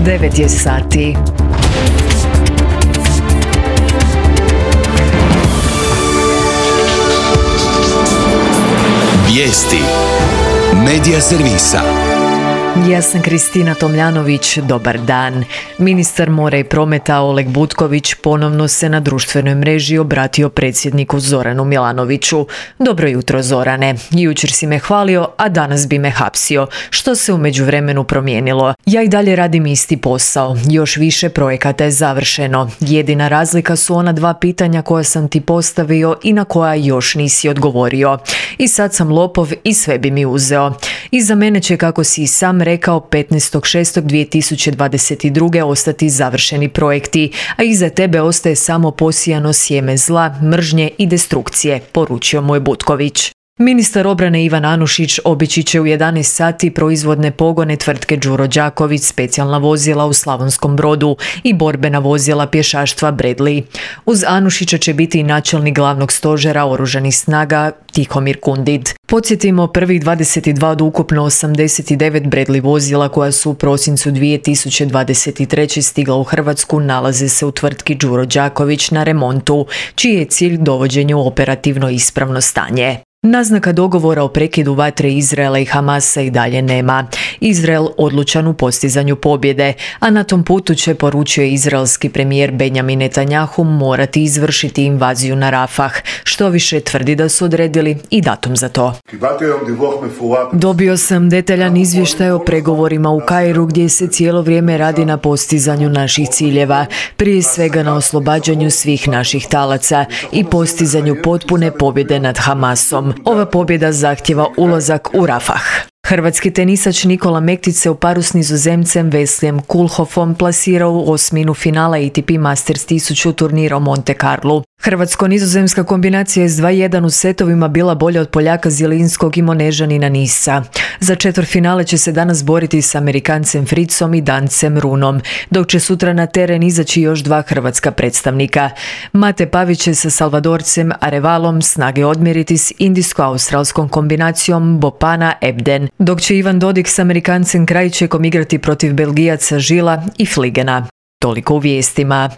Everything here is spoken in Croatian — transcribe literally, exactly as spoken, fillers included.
devet je sati. Vijesti Medija servisa. Ja sam Kristina Tomljanović, dobar dan. Ministar mora i prometa Oleg Butković ponovno se na društvenoj mreži obratio predsjedniku Zoranu Milanoviću. Dobro jutro, Zorane. Jučer si me hvalio, a danas bi me hapsio. Što se u međuvremenu promijenilo? Ja i dalje radim isti posao. Još više projekata je završeno. Jedina razlika su ona dva pitanja koja sam ti postavio i na koja još nisi odgovorio. I sad sam lopov i sve bi mi uzeo. Iza mene će, kako si i sam rekao, petnaestog šestog dvije tisuće dvadeset druge ostati završeni projekti, a iza tebe ostaje samo posijano sjeme zla, mržnje i destrukcije, poručio mu je Butković. Ministar obrane Ivan Anušić obići će u jedanaest sati proizvodne pogone tvrtke Đuro Đaković, specijalna vozila u Slavonskom Brodu i borbena vozila pješaštva Bradley. Uz Anušića će biti i načelnik glavnog stožera oružanih snaga Tihomir Kundid. Podsjetimo, prvih dvadeset dva od ukupno osamdeset devet Bradley vozila koja su u prosincu dvije tisuće dvadeset treće stigla u Hrvatsku nalaze se u tvrtki Đuro Đaković na remontu, čiji je cilj dovođenje u operativno ispravno stanje. Naznaka dogovora o prekidu vatre Izraela i Hamasa i dalje nema. Izrael odlučan u postizanju pobjede, a na tom putu će, poručio izraelski premijer Benjamin Netanjahu, morati izvršiti invaziju na Rafah. Što više, tvrdi da su odredili i datum za to. Dobio sam detaljan izvještaj o pregovorima u Kairu gdje se cijelo vrijeme radi na postizanju naših ciljeva, prije svega na oslobađanju svih naših talaca i postizanju potpune pobjede nad Hamasom. Ova pobjeda zahtjeva ulazak u Rafah. Hrvatski tenisač Nikola Mektić se u paru s Nizozemcem Veslijem Kulhofom plasirao u osminu finala A T P Masters tisuću turnira u Monte Carlu. Hrvatsko-nizozemska kombinacija je s dva jedan u setovima bila bolja od Poljaka Zielinskog i Monežanina Nisa. Za četvrtfinale će se danas boriti s Amerikancem Fritzom i Dancem Runom, dok će sutra na teren izaći još dva hrvatska predstavnika. Mate Pavić će sa Salvadorcem Arevalom snage odmjeriti s indijsko-australskom kombinacijom Bopana Ebden, dok će Ivan Dodig s Amerikancem Krajčekom igrati protiv Belgijaca Žila i Fligena. Toliko u vijestima.